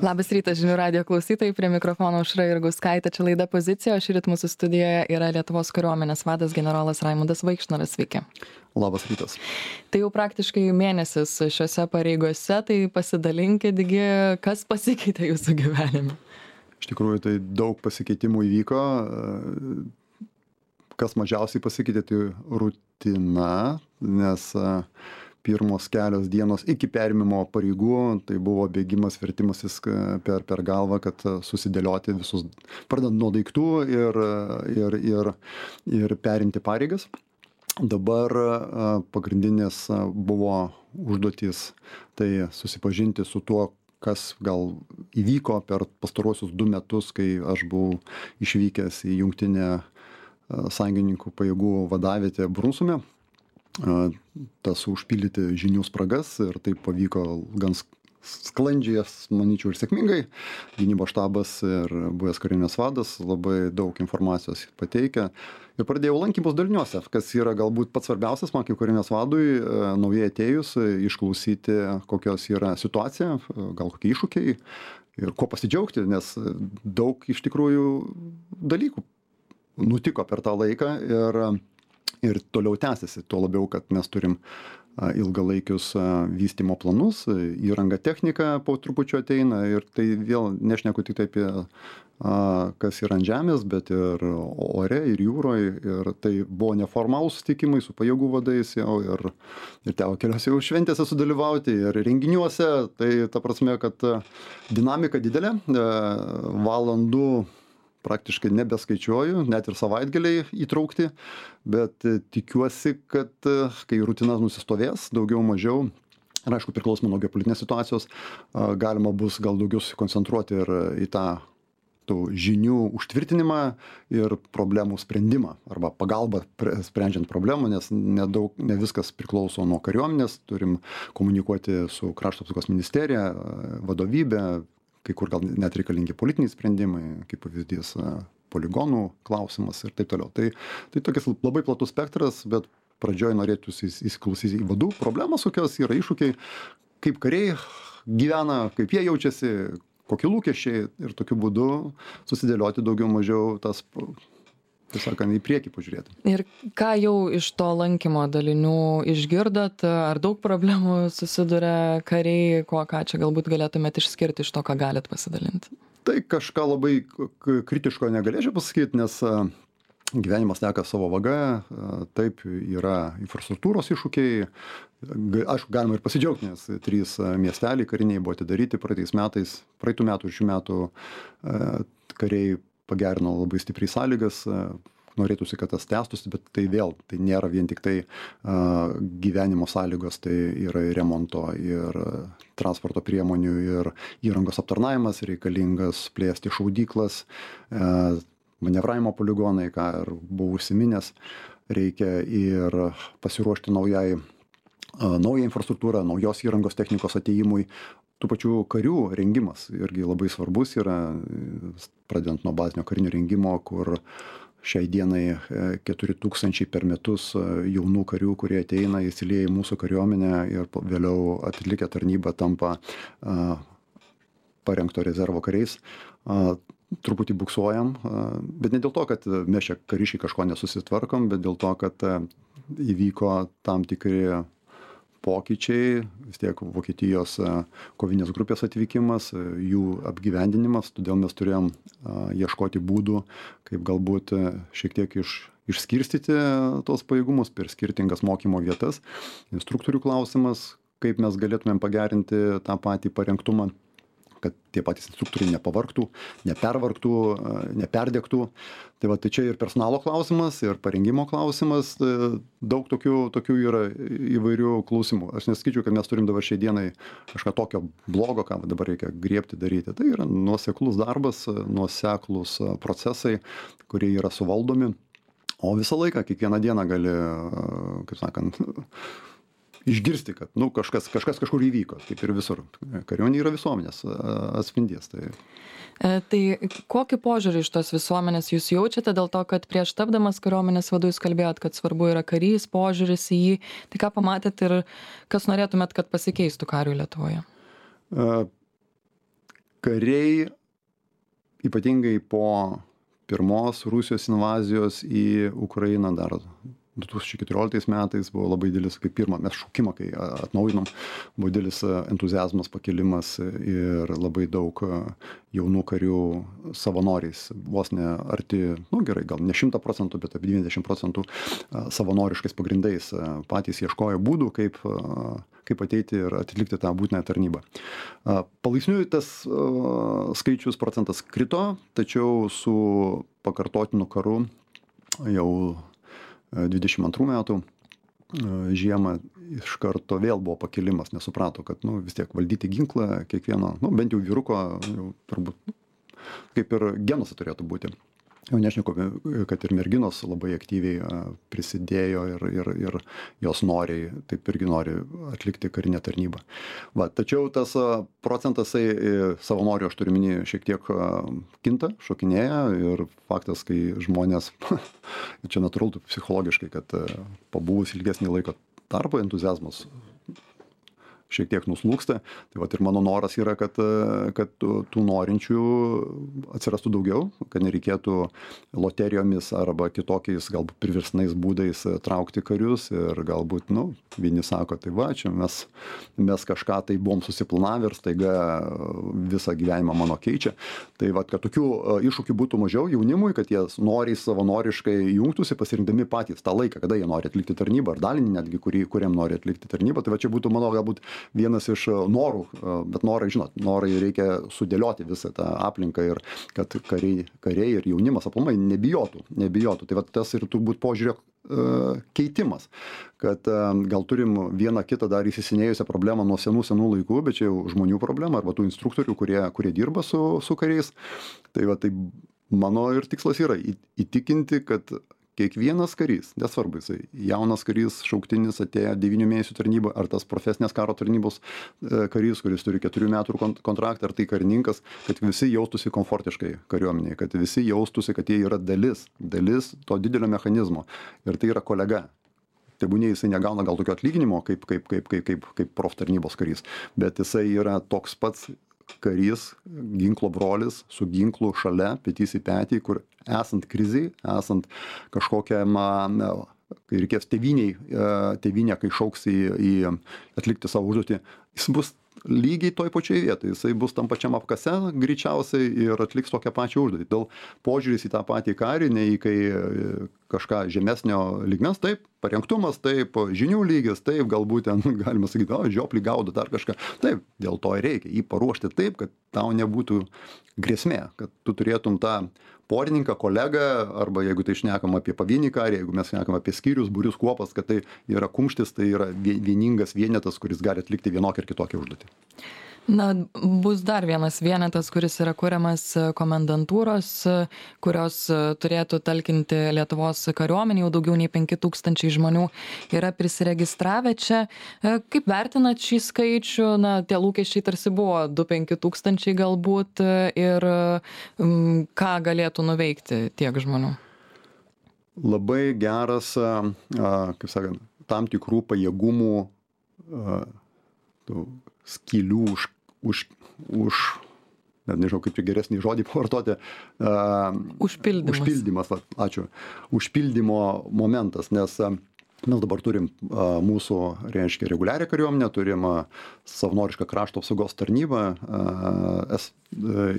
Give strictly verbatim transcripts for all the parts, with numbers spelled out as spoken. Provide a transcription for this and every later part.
Labas rytas, žinių radio klausytojai, prie mikrofono Aušra Jurgauskaitė, čia laida Pozicija, o šįryt mūsų studijoje yra Lietuvos kariuomenės vadas generolas Raimundas Vaikšnoras. Sveiki. Labas rytas. Tai jau praktiškai mėnesis šiuose pareigose, tai pasidalinkitgi, kas pasikeitė jūsų gyvenime. Iš tikrųjų, tai daug pasikeitimų įvyko. Kas mažiausiai pasikeitė, tai rutina, nes pirmos kelios dienos iki perėmimo pareigų, tai buvo bėgimas, vertimasis per, per galvą, kad susidėlioti visus, pradant nuo daiktų ir, ir, ir, ir perimti pareigas. Dabar pagrindinės buvo užduotys, tai susipažinti su tuo, kas gal įvyko per pastaruosius du metus, kai aš buvau išvykęs į jungtinę sąjungininkų pajėgų vadavietę Brunsume. Tas užpildyti žinių spragas ir taip pavyko gan sklandžiai, manyčiau, ir sėkmingai. Gynybos štabas ir buvęs karinės vadas labai daug informacijos pateikia. Ir pradėjau lankymus daliniuose, kas yra galbūt pats svarbiausias man kaip karinės vadui, naujai atėjus, išklausyti, kokios yra situacija, gal kokie iššūkiai ir kuo pasidžiaugti, nes daug iš tikrųjų dalykų nutiko per tą laiką ir ir toliau tęsiasi, tuo labiau, kad mes turim ilgalaikius vystymo planus, įranga technika po trupučiu ateina ir tai vėl nešneku tik tai apie kas yra ant žemės, bet ir ore, ir jūroje, ir tai buvo neformalūs susitikimai su pajėgų vadais jau ir, ir teko keliose jau šventėse sudalyvauti ir renginiuose, tai ta prasme, kad dinamika didelė, valandų praktiškai nebeskaičiuoju, net ir savaitgaliai įtraukti, bet tikiuosi, kad kai rutina nusistovės, daugiau mažiau, ir aišku, priklausomai nuo geopolitinės situacijos, galima bus gal daugiau susikoncentruoti ir į tą tų žinių užtvirtinimą ir problemų sprendimą arba pagalbą sprendžiant problemų, nes nedaug, ne viskas priklauso nuo kariuomenės, turim komunikuoti su Krašto apsaugos ministerija, vadovybė, kai kur gal net reikalingi politiniai sprendimai, kaip pavyzdys poligonų klausimas ir taip toliau. Tai, tai tokias labai platus spektras, bet pradžioj norėtųsi įsiklausyti į vadų problemas, kokios yra iššūkiai, kaip kariai gyvena, kaip jie jaučiasi, kokie lūkesčiai ir tokiu būdu susidėlioti daugiau mažiau tas, tiesiog, į priekį pažiūrėti. Ir ką jau iš to lankymo dalinių išgirdot, ar daug problemų susiduria kariai, ko, ką čia galbūt galėtumėt išskirti iš to, ką galit pasidalinti? Tai kažką labai kritiško negalėčiau pasakyti, nes gyvenimas teka savo vaga, taip yra infrastruktūros iššūkiai, aišku, galima ir pasidžiaugti, nes trys miesteliai kariniai buvo atidaryti praeitais metais, praeitų metų ir šių metų kariai pagerino labai stipriai sąlygas, norėtųsi, kad tas tęstųsi, bet tai vėl, tai nėra vien tik tai uh, gyvenimo sąlygos, tai yra ir remonto, ir transporto priemonių, ir įrangos aptarnavimas, reikalingas plėsti šaudyklas, uh, manevravimo poligonai, ką ir buvau užsiminęs, reikia ir pasiruošti naujai, uh, naują infrastruktūrą, naujos įrangos technikos atėjimui. Tų pačių karių rengimas irgi labai svarbus yra, pradedant nuo bazinio karinio rengimo, kur šiai dienai keturi tūkstančiai per metus jaunų karių, kurie ateina, įsilieja į mūsų kariuomenę ir vėliau atlikę tarnybą tampa a, parengto rezervo kariais. A, truputį buksuojam, a, bet ne dėl to, kad mes čia kariškai kažko nesusitvarkom, bet dėl to, kad a, įvyko tam tikri pokyčiai, vis tiek Vokietijos kovinės grupės atvykimas, jų apgyvendinimas, todėl mes turėjom ieškoti būdų, kaip galbūt šiek tiek iš, išskirstyti tos pajėgumus per skirtingas mokymo vietas. Instruktorių klausimas, kaip mes galėtumėm pagerinti tą patį parengtumą, kad tie patys instruktoriai nepavargtų, nepervargtų, neperdegtų. Tai va, tai čia ir personalo klausimas, ir parengimo klausimas, daug tokių, tokių yra įvairių klausimų. Aš nesakyčiau, kad mes turim dabar šiai dienai kažką tokio blogo, ką dabar reikia griebti daryti. Tai yra nuoseklus darbas, nuoseklus procesai, kurie yra suvaldomi, o visą laiką, kiekvieną dieną gali, kaip sakant, išgirsti, kad nu, kažkas, kažkas kažkur įvyko, kaip ir visur. Kariuomenė yra visuomenės atspindys. Tai... E, tai kokį požiūrį iš tos visuomenės jūs jaučiate dėl to, kad prieš tapdamas kariuomenės vadu jūs kalbėjot, kad svarbu yra karys, požiūris į jį. Tai ką pamatėt ir kas norėtumėt, kad pasikeistų kariui Lietuvoje? E, kariai, ypatingai po pirmos Rusijos invazijos į Ukrainą dar du tūkstančiai keturioliktais metais buvo labai didelis, kaip pirmą mes šaukimą, kai atnaujinom, buvo didelis entuziazmas, pakilimas ir labai daug jaunų karių savanoriais, vos ne arti, nu gerai, gal ne šimtą procentų, bet apie devyniasdešimt procentų savanoriškais pagrindais patys ieškojo būdų, kaip, kaip ateiti ir atlikti tą būtinąją tarnybą. Palaipsniui tas skaičius procentas krito, tačiau su pakartotinu karu jau dvidešimt antrų metų žiemą iš karto vėl buvo pakilimas, nes suprato, kad nu, vis tiek valdyti ginklą kiekvieno, nu, bent jau vyruko, jau, turbūt kaip ir genuose turėtų būti. Jau nešneku, kad ir merginos labai aktyviai prisidėjo ir, ir, ir jos noriai, taip irgi nori atlikti karinę tarnybą. Va, tačiau tas procentas savanorių, aš turiu minį, šiek tiek kinta, šokinėja ir faktas, kai žmonės, čia natūralu psichologiškai, kad pabuvus ilgesnį laiko tarpą entuziazmas šiek tiek nuslūksta. Tai vat ir mano noras yra, kad, kad tų norinčių atsirastų daugiau, kad nereikėtų loterijomis arba kitokiais galbūt priverstinais būdais traukti karius ir galbūt, nu, vieni sako, tai va, čia mes, mes kažką tai buvom susiplanavę ir staiga visą gyvenimą mano keičia. Tai vat, kad tokių iššūkių būtų mažiau jaunimui, kad jie noriai savanoriškai jungtųsi, pasirinkdami patys tą laiką, kada jie nori atlikti tarnybą, ar dalinį netgi, kurį, kuriam nori atlikti tarnybą. Tai va čia būtų, mano, galbūt vienas iš norų, bet norai, žinot, norai reikia sudėlioti visą tą aplinką ir kad kariai, kariai ir jaunimas aplamai nebijotų, nebijotų. Tai va tas ir turbūt požiūrio keitimas, kad gal turim vieną kitą dar įsisenėjusią problemą nuo senų senų laikų, bet čia jau žmonių problema arba tų instruktorių, kurie, kurie dirba su, su kariais. Tai va, tai mano ir tikslas yra įtikinti, kad kiekvienas karys, nesvarbu, jisai jaunas karys, šauktinis atėjo devynių mėnesių tarnybą, ar tas profesinės karo tarnybos karys, kuris turi keturių metų kontraktą, ar tai karininkas, kad visi jaustųsi komfortiškai kariuomenėje, kad visi jaustųsi, kad jie yra dalis, dalis to didelio mechanizmo ir tai yra kolega. Tebūnie jisai negauna gal tokio atlyginimo kaip, kaip, kaip, kaip, kaip, kaip prof tarnybos karys, bet jisai yra toks pats karys, ginklo brolis, su ginklu šalia, petys į petį, kur esant kriziai, esant kažkokiam, kai reikės tėvyniai, tėvynė, kai šauks į, į atlikti savo užduotį, jis bus lygiai toj pačioj vietoj, jisai bus tam pačiam apkase greičiausiai ir atliks tokią pačią užduotį. Dėl požiūris į tą patį karį, ne į kai kažką žemesnio lygmens, taip, parengtumas, taip, žinių lygis, taip, galbūt ten galima sakyti, o, žioplį gaudo dar kažką. Taip, dėl to ir reikia jį paruošti taip, kad tau nebūtų grėsmė, kad tu turėtum tą porininką, kolegą, arba jeigu tai šnekam apie pavienį karį, jeigu mes šnekam apie skyrius, būrius, kuopas, kad tai yra kumštis, tai yra vieningas vienetas, kuris gali atlikti vienokią ir kitokią užduotį. Na, bus dar vienas vienetas, kuris yra kuriamas komendantūros, kurios turėtų talkinti Lietuvos kariuomenį, jau daugiau nei penki tūkstančiai žmonių yra prisiregistravę čia. Kaip vertinat šį skaičių? Na, tie lūkesčiai tarsi buvo du penki tūkstančiai galbūt ir m, ką galėtų nuveikti tiek žmonių? Labai geras, kaip sakant, tam tikrų pajėgumų skylių už, už, už net nežinau, kaip čia geresnį žodį pavartoti. Užpildymas. Užpildymas, va, ačiū. Užpildymo momentas, nes mes dabar turim mūsų, reiškia, reguliarią kariuomenę, turim savanorišką krašto apsaugos tarnybą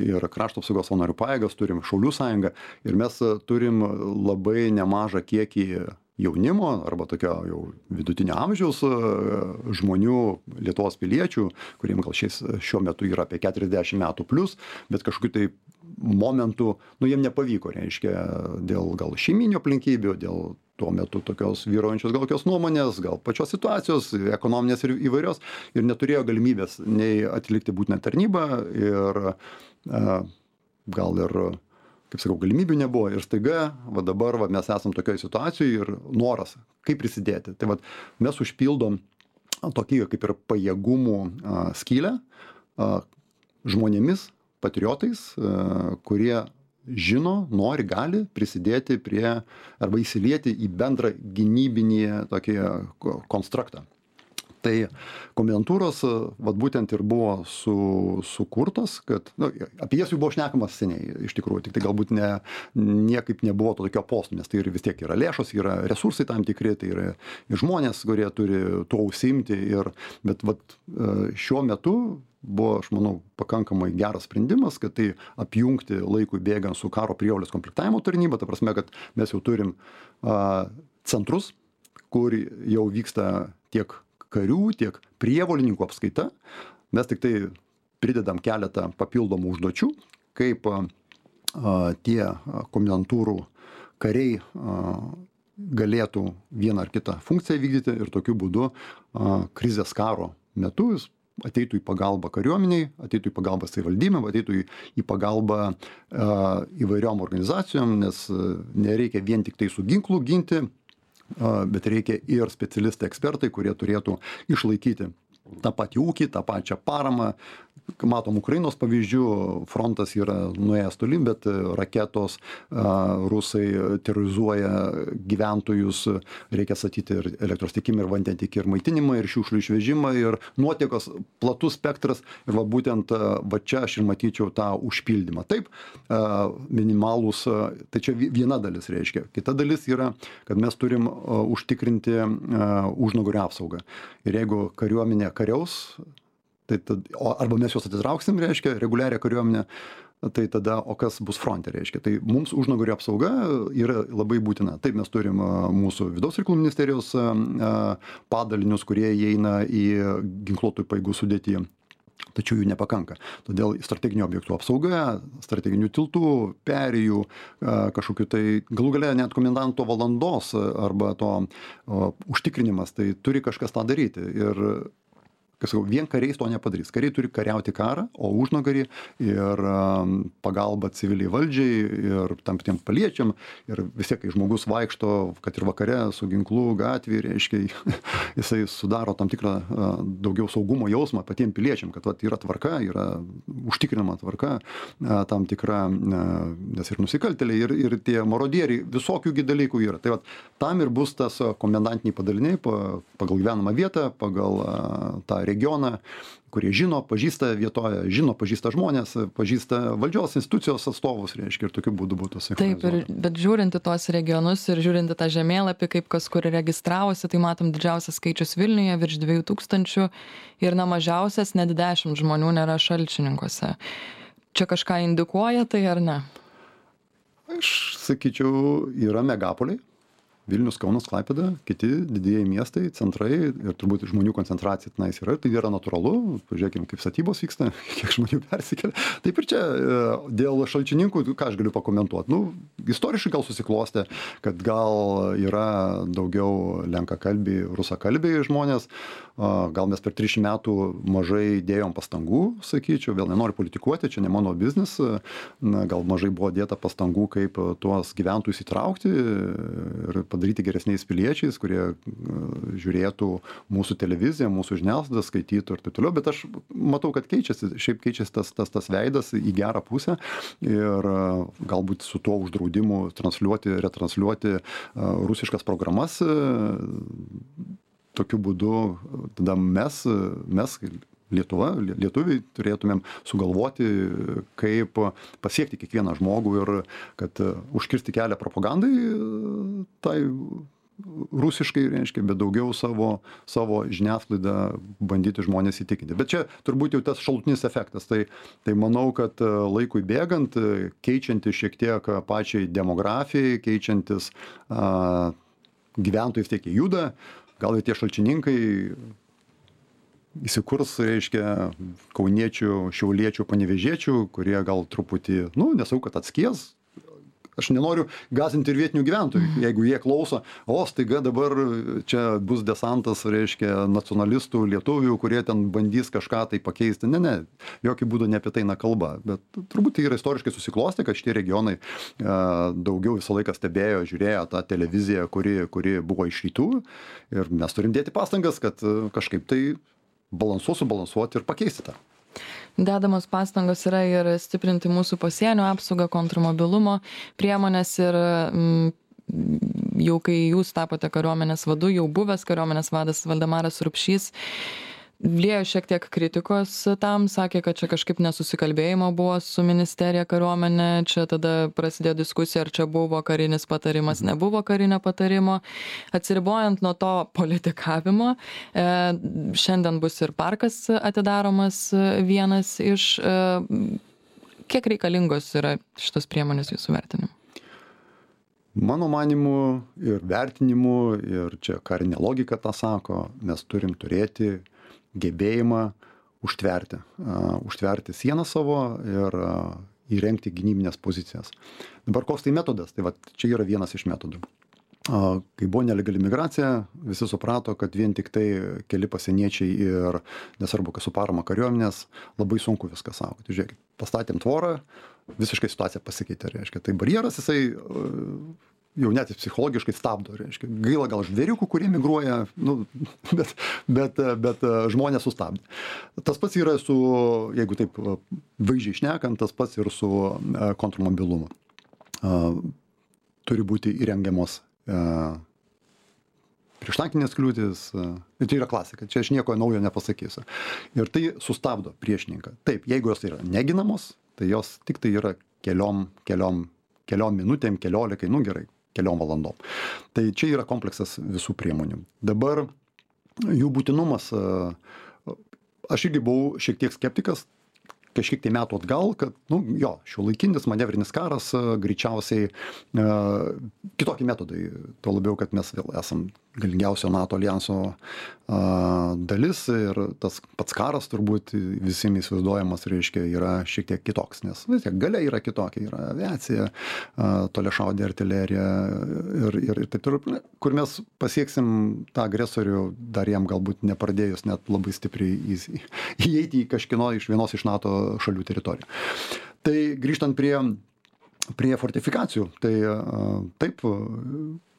ir krašto apsaugos savanorių pajėgas, turim Šaulių sąjungą ir mes turim labai nemažą kiekį jaunimo arba tokio jau vidutinio amžiaus žmonių, Lietuvos piliečių, kuriem gal šiais, šiuo metu yra apie keturiasdešimt metų plus, bet kažkokiu tai momentu, nu, jiem nepavyko, reiškia, dėl gal šeiminių aplinkybių, dėl tuo metu tokios vyraujančios gal kokios nuomonės, gal pačios situacijos, ekonominės ir įvairios, ir neturėjo galimybės nei atlikti būtinę tarnybą ir gal ir kaip sakau, galimybių nebuvo ir staiga, va dabar va, mes esam tokioje situacijoje ir noras, kaip prisidėti. Tai va, mes užpildom tokį kaip ir pajėgumų a, skylę a, žmonėmis, patriotais, a, kurie žino, nori, gali prisidėti prie arba įsilieti į bendrą gynybinį tokį konstruktą. Tai komendantūros, vat būtent ir buvo su, sukurtos, kad, nu, apie jas jau buvo šnekamas seniai, iš tikrųjų, tik tai galbūt ne, niekaip nebuvo to tokio postų, nes tai ir vis tiek yra lėšos, yra resursai tam tikri, tai yra ir žmonės, kurie turi tuo užsiimti, ir, bet vat, šiuo metu buvo, aš manau, pakankamai geras sprendimas, kad tai apjungti laikui bėgant su karo prievolės komplektavimo tarnyba, ta prasme, kad mes jau turim a, centrus, kur jau vyksta tiek karių, tiek prievolininkų apskaita. Mes tik tai pridedam keletą papildomų užduočių, kaip a, tie komendantūrų kariai a, galėtų vieną ar kitą funkciją vykdyti ir tokiu būdu a, krizės karo metu jis ateitų į pagalbą kariuomeniai, ateitų į pagalbą savivaldybėm, ateitų į, į pagalbą a, įvairiom organizacijom, nes nereikia vien tik tai su ginklu ginti, bet reikia ir specialistai, ekspertai, kurie turėtų išlaikyti tą patį ūkį, tą pačią paramą. Matom Ukrainos pavyzdžių, frontas yra nuėjęs toli, bet raketos, rusai terorizuoja gyventojus, reikia statyti ir elektros tiekimą, ir vandentiekį, ir maitinimą, ir šiukšlių išvežimą, ir nuotekos, platus spektras, ir va būtent va čia aš ir matyčiau tą užpildymą. Taip, minimalus, tai čia viena dalis reiškia. Kita dalis yra, kad mes turim užtikrinti užnugario apsaugą. Ir jeigu kariuomenė kariaus, tai tad, arba mes juos atitrauksim, reiškia, reguliarią kariuomenę, tai tada, o kas bus fronte, reiškia. Tai mums užnugario apsauga yra labai būtina. Taip, mes turim mūsų vidaus reikalų ministerijos padalinius, kurie įeina į ginkluotųjų pajėgų sudėtį. Tačiau jų nepakanka. Todėl strateginių objektų apsauga, strateginių tiltų, perėjų, kažkokiu tai galų gale net komendanto valandos arba to o, užtikrinimas, tai turi kažkas tą daryti. Ir kas sakau, vien kariais to nepadarys. Kariai turi kariauti karą, o užnugarį ir um, pagalba civiliai valdžiai ir tam tiem paliečiam. Ir vis tiek, kai žmogus vaikšto, kad ir vakare su ginklu gatvėje, reiškia, jisai sudaro tam tikrą uh, daugiau saugumo jausmą patiem piliečiam, kad vat, yra tvarka, yra užtikrinama tvarka, uh, tam tikra, uh, nes ir nusikaltėliai, ir, ir tie marodieriai, visokiųgi dalykų yra. Tai vat, tam ir bus tas komendantiniai padaliniai pagal gyvenamą vietą, pagal uh, tą regioną, kurie žino, pažįsta vietoje, žino, pažįsta žmonės, pažįsta valdžios institucijos atstovus, reiškia, ir tokiu būdu būtų sinchronizuota. Taip, ir, bet žiūrinti tuos regionus ir žiūrinti tą žemėlapį, kaip kas kur registravosi, tai matom didžiausias skaičius Vilniuje, virš dviejų tūkstančių, ir na mažiausias net dešimt žmonių nėra Šalčininkuose. Čia kažką indikuoja tai ar ne? Aš sakyčiau, yra megapoliai. Vilnius, Kaunas, Klaipėda, kiti didieji miestai, centrai ir turbūt žmonių koncentracija tenais yra, tai yra natūralu. Pažiūrėkime, kaip statybos vyksta, kiek žmonių persikelia. Taip ir čia dėl Šalčininkų, ką aš galiu pakomentuoti. Nu, istoriškai gal susiklostė, kad gal yra daugiau lenkakalbiai, rusakalbiai žmonės. Gal mes per trisdešimt metų mažai dėjom pastangų, sakyčiau, vėl nenoriu politikuoti, čia ne mano biznis. Gal mažai buvo dėta pastangų, kaip tuos gyventojus įtraukti ir padaryti geresniais piliečiais, kurie žiūrėtų mūsų televiziją, mūsų žiniasklaidą, skaitytų ir taip toliau, bet aš matau, kad keičiasi, šiaip keičiasi tas, tas, tas veidas į gerą pusę ir galbūt su tuo uždraudimu transliuoti, retransliuoti rusiškas programas, tokiu būdu tada mes, mes Lietuva, lietuviai turėtumėm sugalvoti, kaip pasiekti kiekvieną žmogų ir kad užkirsti kelią propagandai tai rusiškai, reiškia, bet daugiau savo, savo žiniasklaidą bandyti žmonės įtikinti. Bet čia turbūt jau tas šalutinis efektas. Tai, tai manau, kad laikui bėgant, keičiantis šiek tiek pačiai demografijai, keičiantis a, gyventojus tiek į judą, gal ir tie šalčininkai įsikurs, reiškia, kauniečių, šiauliečių, panevėžiečių, kurie gal truputį, nu, nesau, kad atskies. Aš nenoriu gąsdinti ir vietinių gyventojų, jeigu jie klauso, o staiga dabar čia bus desantas, reiškia, nacionalistų, lietuvių, kurie ten bandys kažką tai pakeisti. Ne, ne, jokių būdų ne apie tai na kalba. Bet turbūt tai yra istoriškai susiklostę, kad šitie regionai a, daugiau visą laiką stebėjo, žiūrėjo tą televiziją, kuri, kuri buvo iš rytų. Ir mes turim dėti pastangas, kad kažkaip tai balansuoti, subalansuoti ir pakeisti tą. Dedamos pastangos yra ir stiprinti mūsų pasienio apsaugą, kontrmobilumo priemonės ir mm, jau kai jūs tapote kariuomenės vadu, jau buvęs kariuomenės vadas Valdemaras Rupšys liejo šiek tiek kritikos tam, sakė, kad čia kažkaip nesusikalbėjimo buvo su ministerija kariuomenė, čia tada prasidėjo diskusija, ar čia buvo karinis patarimas, nebuvo karinio patarimo. Atsiribojant nuo to politikavimo, e, šiandien bus ir parkas atidaromas vienas iš. E, kiek reikalingos yra šitos priemonės jūsų vertinimu? Mano manimu ir vertinimu, ir čia karinė logika tą sako, mes turim turėti gebėjimą užtverti, uh, užtverti sieną savo ir uh, įrengti gynybinės pozicijas. Dabar koks tai metodas? Tai va, čia yra vienas iš metodų. Uh, kai buvo nelegali migracija, visi suprato, kad vien tik tai keli pasieniečiai ir nesvarbu, kas su parama kariuomenės, labai sunku viską saugoti. Žiūrėkit, pastatėm tvorą, visiškai situacija pasikeitė, reiškia. Tai barjeras jisai uh, jau net psichologiškai stabdo, reiškia. Gaila gal žvėriukų, kurie migruoja, nu, bet, bet, bet žmonės sustabdė. Tas pats yra su, jeigu taip vaizdžiai šnekant, tas pats ir su kontrmobilumu. Turi būti įrengiamos prieštankinės kliūtis. Ir tai yra klasika, čia aš nieko naujo nepasakysiu. Ir tai sustabdo priešininką. Taip, jeigu jos yra neginamos, tai jos tik tai yra keliom, keliom, keliom minutėm, keliolikai, nu gerai, keliom valandom. Tai čia yra kompleksas visų priemonių. Dabar jų būtinumas, aš irgi buvau šiek tiek skeptikas, kažkiek tai metų atgal, kad, nu, jo, šiuolaikinis manevrinis karas greičiausiai kitokie metodai, tuo labiau, kad mes vėl esam galingiausio NATO aljanso dalis ir tas pats karas turbūt visiems įsivaizduojamas, reiškia, yra šiek tiek kitoks, nes vis tiek galia yra kitokia, yra aviacija, toliašaudė artilerija ir, ir, ir taip toliau, kur mes pasieksim tą agresorių dar jam galbūt nepradėjus net labai stipriai įeiti į kažkino iš vienos iš NATO šalių teritorijų. Tai grįžtant prie, prie fortifikacijų, tai taip,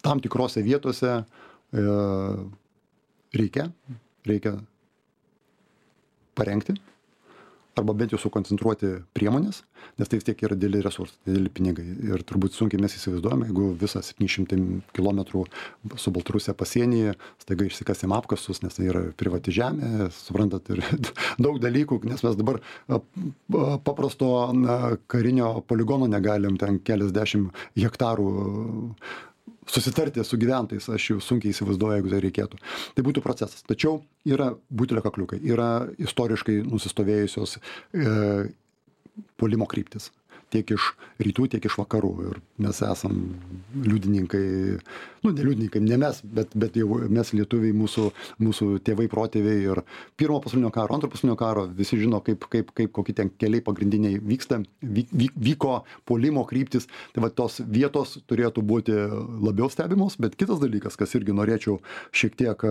tam tikrose vietose reikia, reikia parengti arba bent jau sukoncentruoti priemonės, nes tai vis tiek yra dideli resursai, dideli pinigai. Ir turbūt sunkiai mes įsivaizduojame, jeigu visą septyni šimtai kilometrų su Baltarusija pasienyje staiga išsikasim apkasus, nes tai yra privati žemė, suprantat, ir daug dalykų, nes mes dabar paprasto karinio poligono negalim ten keliasdešimt hektarų susitarti su gyventojais, aš jau sunkiai įsivaizduoju, jeigu tai reikėtų. Tai būtų procesas. Tačiau yra butelio kakliukai, yra istoriškai nusistovėjusios e, puolimo kryptis. Tiek iš rytų, tiek iš vakarų. Ir mes esam liudininkai, nu, ne liudininkai, ne mes, bet, bet jau mes lietuviai, mūsų, mūsų tėvai, protėviai ir pirmo pasaulinio karo, antro pasaulinio karo, visi žino, kaip, kaip, kaip kokie ten keliai pagrindiniai vyksta, vyk, vyko puolimo kryptis. Tai va, tos vietos turėtų būti labiau stebimos, bet kitas dalykas, kas irgi norėčiau šiek tiek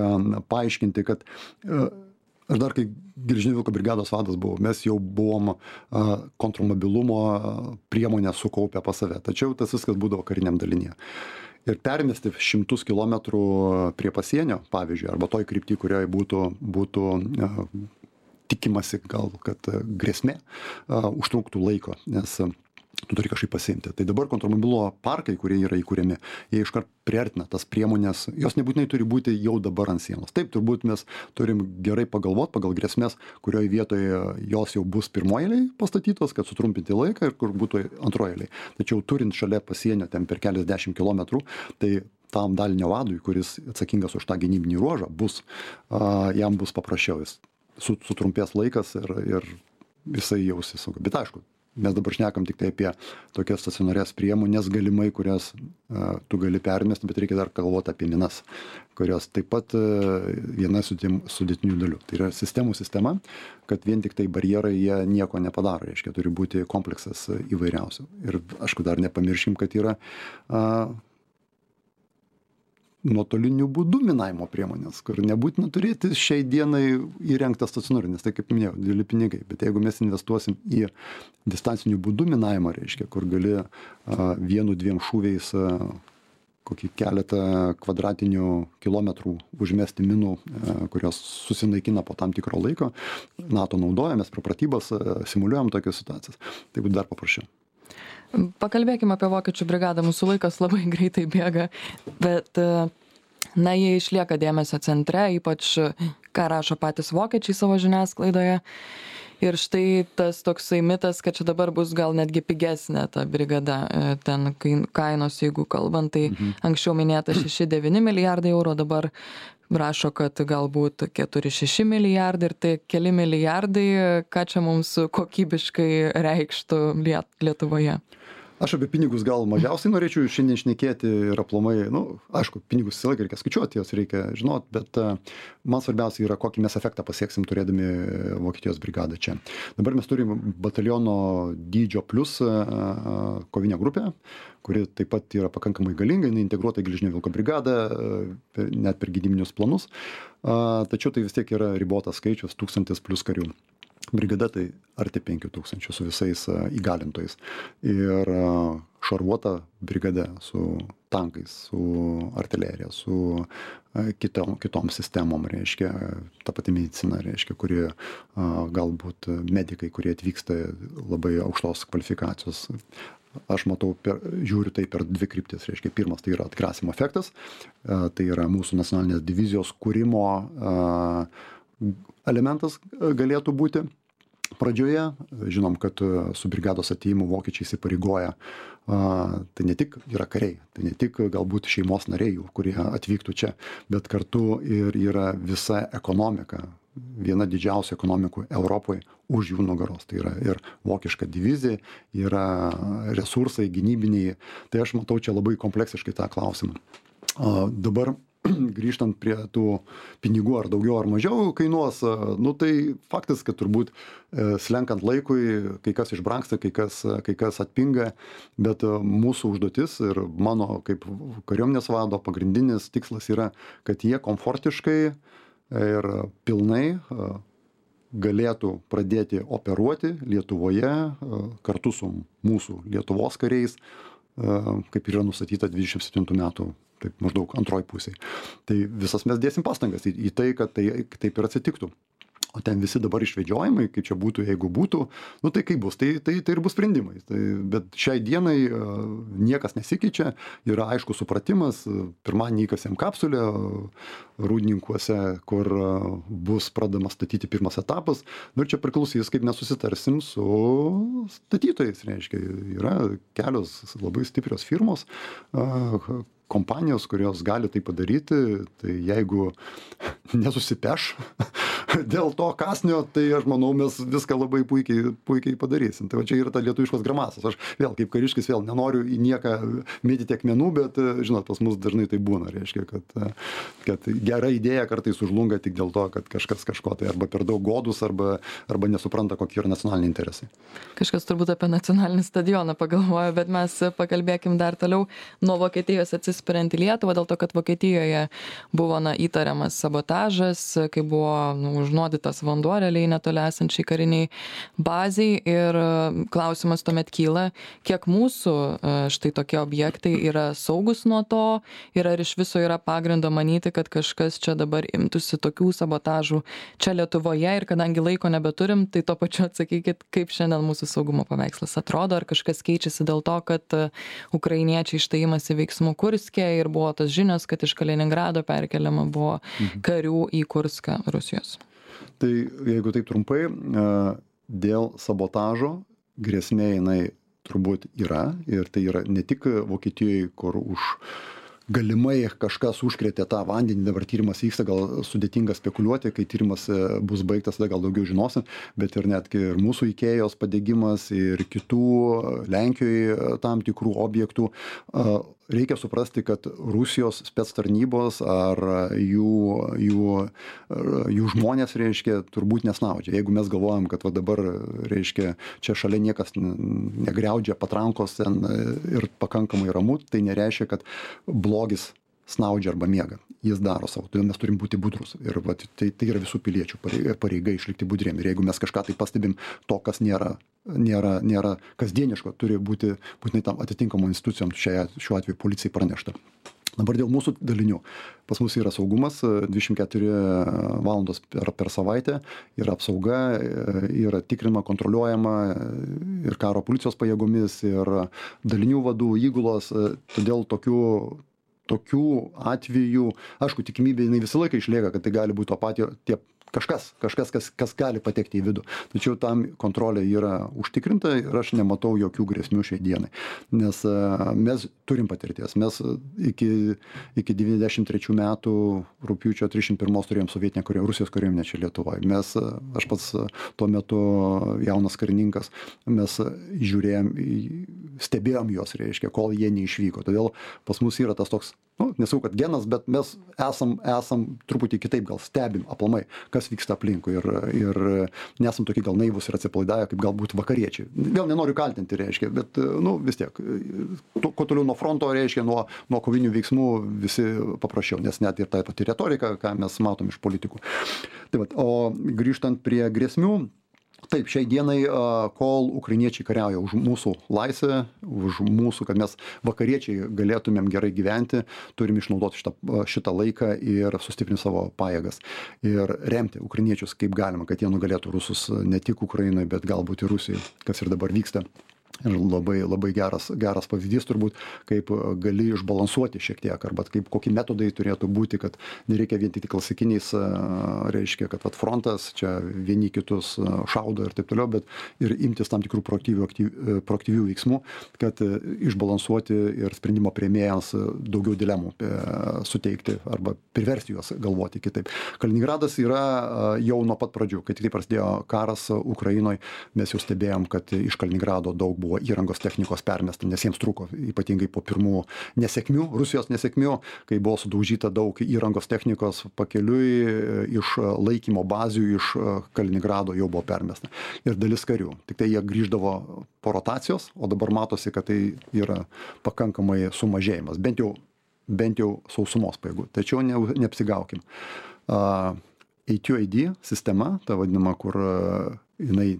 paaiškinti, kad aš dar, kai Geležinio vilko brigados vadas buvau, mes jau buvom kontrmobilumo priemonę sukaupę pas save. Tačiau tas viskas būdavo kariniam dalinėje. Ir permesti šimtus kilometrų prie pasienio, pavyzdžiui, arba toj krypty, kurioje būtų, būtų tikimasi gal, kad grėsmė užtruktų laiko, nes tu turi kažkaip pasiimti. Tai dabar kontrmobilumo parkai, kurie yra įkūrėmi, jie iškart priartina tas priemonės, jos nebūtinai turi būti jau dabar ant sienos. Taip, turbūt mes turim gerai pagalvoti pagal grėsmės, kurioje vietoje jos jau bus pirmoje eilėje pastatytos, kad sutrumpinti laiką ir kur būtų antroje eilėje. Tačiau turint šalia pasienio ten per keliasdešimt kilometrų, tai tam dalinio vadui, kuris atsakingas už tą gynybinį ruožą, bus, a, jam bus paprasčiau, jis sutrumpės laikas ir, ir jisai jausis saugiai. Bet aišku, mes dabar šnekam tik tai apie tokias stacionarias priemonės galimai, kurias uh, tu gali permesti, bet reikia dar galvoti apie minas, kurios taip pat uh, viena sudėtinių dalių. Tai yra sistemų sistema, kad vien tik tai barjerai jie nieko nepadaro, reiškia, turi būti kompleksas įvairiausių. Ir aišku, dar nepamirškim, kad yra uh, nuotoliniu būdu minavimo priemonės, kur nebūtina turėti šiai dienai įrengtą stacionarį, nes tai, kaip minėjau, dideli pinigai. Bet jeigu mes investuosim į distancinių būdų minavimą, reiškia, kur gali a, vienu, dviem šūviais a, kokį keletą kvadratinių kilometrų užmesti minų, a, kurios susinaikina po tam tikro laiko, NATO naudoja, mes pro pratybas a, simuliuojam tokias situacijas. Tai būtų dar paprasčiau. Pakalbėkime apie vokiečių brigadą, mūsų laikas labai greitai bėga, bet na, jie išlieka dėmesio centre, ypač ką rašo patys vokiečiai savo žiniasklaidoje. Ir štai tas toksai mitas, kad čia dabar bus gal netgi pigesnė ta brigada, ten kainos, jeigu kalbant, tai mhm. anksčiau minėta šeši devyni milijardai eurų, dabar rašo, kad galbūt keturi šeši milijardai ir tai keli milijardai, ką čia mums kokybiškai reikštų Lietuvoje. Aš apie pinigus gal mažiausiai norėčiau šiandien šnekėti ir aplamai, nu, aišku, pinigus visą laiką reikia skaičiuoti, jos reikia žinot, bet uh, man svarbiausia yra, kokį mes efektą pasieksim turėdami Vokietijos brigadą čia. Dabar mes turim bataliono dydžio plus uh, kovinę grupę, kuri taip pat yra pakankamai galinga, jinai integruota į Geležinio vilko brigadą, uh, net per gynybinius planus, uh, tačiau tai vis tiek yra ribotas skaičius, tūkstantis plus karių. Brigada tai arti penkių tūkstančių su visais įgalintojais. Ir šarvuota brigada su tankais, su artilerija, su kitom, kitom sistemom, reiškia, ta pati medicina, reiškia, kurie galbūt medikai, kurie atvyksta labai aukštos kvalifikacijos. Aš matau, per, žiūriu tai per dvi kryptis. Reiškia, pirmas tai yra atgrasimo efektas, tai yra mūsų nacionalinės divizijos kūrimo elementas galėtų būti pradžioje. Žinom, kad su brigados atėjimu vokiečiai įsipareigoja. Tai ne tik yra kariai, tai ne tik galbūt šeimos nariai, kurie atvyktų čia, bet kartu ir yra visa ekonomika, viena didžiausių ekonomikų Europoje už jų nugaros. Tai yra ir vokiška divizija, yra resursai gynybiniai. Tai aš matau čia labai kompleksiškai tą klausimą. Dabar grįžtant prie tų pinigų, ar daugiau ar mažiau kainuos, nu tai faktas, kad turbūt slenkant laikui, kai kas išbrangsta, kai kas, kai kas atpinga, bet mūsų užduotis ir mano kaip kariuomenės vado pagrindinis tikslas yra, kad jie komfortiškai ir pilnai galėtų pradėti operuoti Lietuvoje kartu su mūsų Lietuvos kariais, kaip yra nustatyta dvidešimt septintų metų, taip maždaug antroj pusėj. Tai visas mes dėsim pastangas į, į tai, kad tai taip ir atsitiktų. O ten visi dabar išvedžiojimai, kaip čia būtų, jeigu būtų, nu tai kaip bus, tai, tai, tai ir bus sprendimai. Tai, bet šiai dienai uh, niekas nesikeičia, yra aišku supratimas, pirmadienį įkasėm kapsulę Rūdninkuose, kur uh, bus pradamas statyti pirmas etapas, nu ir čia priklausys, kaip mes susitarsim su statytojais, reiškia, yra kelios labai stiprios firmos, uh, kompanijos, kurios gali tai padaryti, tai jeigu nesusipeš dėl to kasnio, tai aš manau, mes viską labai puikiai, puikiai padarysim. Tai va čia yra ta lietuviškos grimasas. Aš vėl kaip kariškis vėl nenoriu į nieką mėtyti akmenų, bet žinot, pas mus dažnai tai būna, reiškia, kad, kad gera idėja kartais sužlunga tik dėl to, kad kažkas kažko tai arba per daug godus, arba, arba nesupranta, kokie yra nacionaliniai interesai. Kažkas turbūt apie nacionalinį stadioną pagalvojo, bet mes pakalbėkim dar toliau nuo Vokietijos atsispiriant į Lietuvą, dėl to, kad Vokietijoje buvo na, įtariamas sabotažas, kai buvo nu, užnuodytas vanduo realiai netoli esančiai kariniai baziai ir klausimas tuomet kyla, kiek mūsų štai tokie objektai yra saugus nuo to ir ar iš viso yra pagrindo manyti, kad kažkas čia dabar imtųsi tokių sabotažų čia Lietuvoje ir kadangi laiko nebeturim, tai to pačiu atsakykit, kaip šiandien mūsų saugumo paveikslas atrodo, ar kažkas keičiasi dėl to, kad ukrainiečiai štai imasi veiksmų Kurske ir buvo tos žinios, kad iš Kaliningrado perkeliama buvo karių į Kurską Rusijos. Tai jeigu taip trumpai, dėl sabotažo grėsmė jinai turbūt yra ir tai yra ne tik Vokietijoje, kur už galimai kažkas užkrėtė tą vandenį, dabar tyrimas vyksta, gal sudėtinga spekuliuoti, kai tyrimas bus baigtas, tada gal daugiau žinosim, bet ir netgi ir mūsų Ikėjos padegimas ir kitų Lenkijoje tam tikrų objektų. Reikia suprasti, kad Rusijos spec tarnybos ar jų, jų, jų žmonės, reiškia, turbūt nesnaudžia. Jeigu mes galvojam, kad va dabar, reiškia, čia šalia niekas negriaudžia patrankos ten ir pakankamai ramu, tai nereiškia, kad blogis snaudžia arba miega. Jis daro savo, todėl mes turim būti budrus. Ir va, tai, tai yra visų piliečių pareiga, pareiga išlikti budriem. Ir jeigu mes kažką tai pastebim, to, kas nėra, nėra, nėra kasdieniško, turi būti būtinai tam atitinkamom institucijom, šia, šiuo atveju policijai pranešta. Dabar dėl mūsų dalinių. Pas mus yra saugumas, dvidešimt keturi valandos per, per savaitę, yra apsauga, yra tikrinama, kontroliuojama ir karo policijos pajėgomis, ir dalinių vadų, įgulos, todėl tokių tokių atvejų, aišku, tikimybė jinai visą laiką išlieka, kad tai gali būti to patio, tie kažkas, kažkas, kas, kas gali patekti į vidų. Tačiau tam kontrolė yra užtikrinta ir aš nematau jokių grėsmių šiai dienai. Nes uh, mes turim patirties. Mes iki, iki devyniasdešimt trečių metų rugpjūčio trisdešimt pirmos turėjom sovietinę kariuomenę, Rusijos kariuomenę čia Lietuvoje. Mes, aš pats tuo metu jaunas karininkas, mes žiūrėjom, stebėjom juos, reiškia, kol jie neišvyko. Todėl pas mus yra tas toks, nu, nesau, kad genas, bet mes esam, esam truputį kitaip gal stebim aplamai, kas vyksta aplinkui ir, ir nesam tokie gal naivus ir atsipalaidavę, kaip galbūt vakariečiai. Vėl nenoriu kaltinti, reiškia, bet, nu, vis tiek, kuo toliau nuo fronto, reiškia, nuo, nuo kovinių veiksmų visi paprasčiau, nes net ir ta pati retorika, ką mes matom iš politikų. Tai vat, o grįžtant prie grėsmių, taip, šiai dienai, kol ukrainiečiai kariauja už mūsų laisvę, už mūsų, kad mes vakariečiai galėtumėm gerai gyventi, turim išnaudoti šitą, šitą laiką ir sustiprinti savo pajėgas. Ir remti ukrainiečius kaip galima, kad jie nugalėtų rusus ne tik Ukrainoje, bet galbūt ir Rusijoje, kas ir dabar vyksta. Ir labai, labai geras, geras pavyzdys turbūt, kaip gali išbalansuoti šiek tiek, arba kaip kokie metodai turėtų būti, kad nereikia vien tik klasikiniais, reiškia, kad vat, frontas čia vieni kitus šaudo ir taip toliau, bet ir imtis tam tikrų proaktyvių, aktyvių, proaktyvių veiksmų, kad išbalansuoti ir sprendimo priėmėjams daugiau dilemų suteikti arba priversti juos galvoti kitaip. Kaliningradas yra jau nuo pat pradžių, kai tik prasidėjo karas Ukrainoje, mes jau stebėjom, kad iš Kaliningrado daug buvo įrangos technikos permesta, nes jiems trūko, ypatingai po pirmų nesėkmių, Rusijos nesėkmių, kai buvo sudaužyta daug įrangos technikos pakeliui iš laikymo bazių, iš Kaliningrado jau buvo permesta. Ir dalis karių. Tik tai jie grįždavo po rotacijos, o dabar matosi, kad tai yra pakankamai sumažėjimas, bent jau, bent jau sausumos pajėgų. Tačiau ne, neapsigaukim. Uh, A two A D sistema, ta vadinama, kur uh, jinai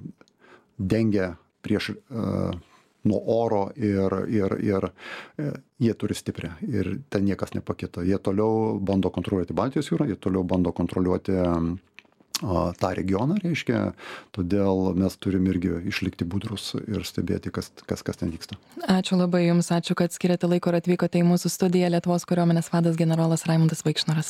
dengia prieš uh, nuo oro ir, ir, ir uh, jie turi stiprią ir ten niekas nepakito. Jie toliau bando kontroliuoti Baltijos jūrą, jie toliau bando kontroliuoti um, uh, tą regioną, reiškia, todėl mes turim irgi išlikti budrus ir stebėti, kas, kas, kas ten vyksta. Ačiū labai Jums, ačiū, kad skiriate laiko ir atvykote į mūsų studiją. Lietuvos kariuomenės vadas generolas Raimundas Vaikšnoras.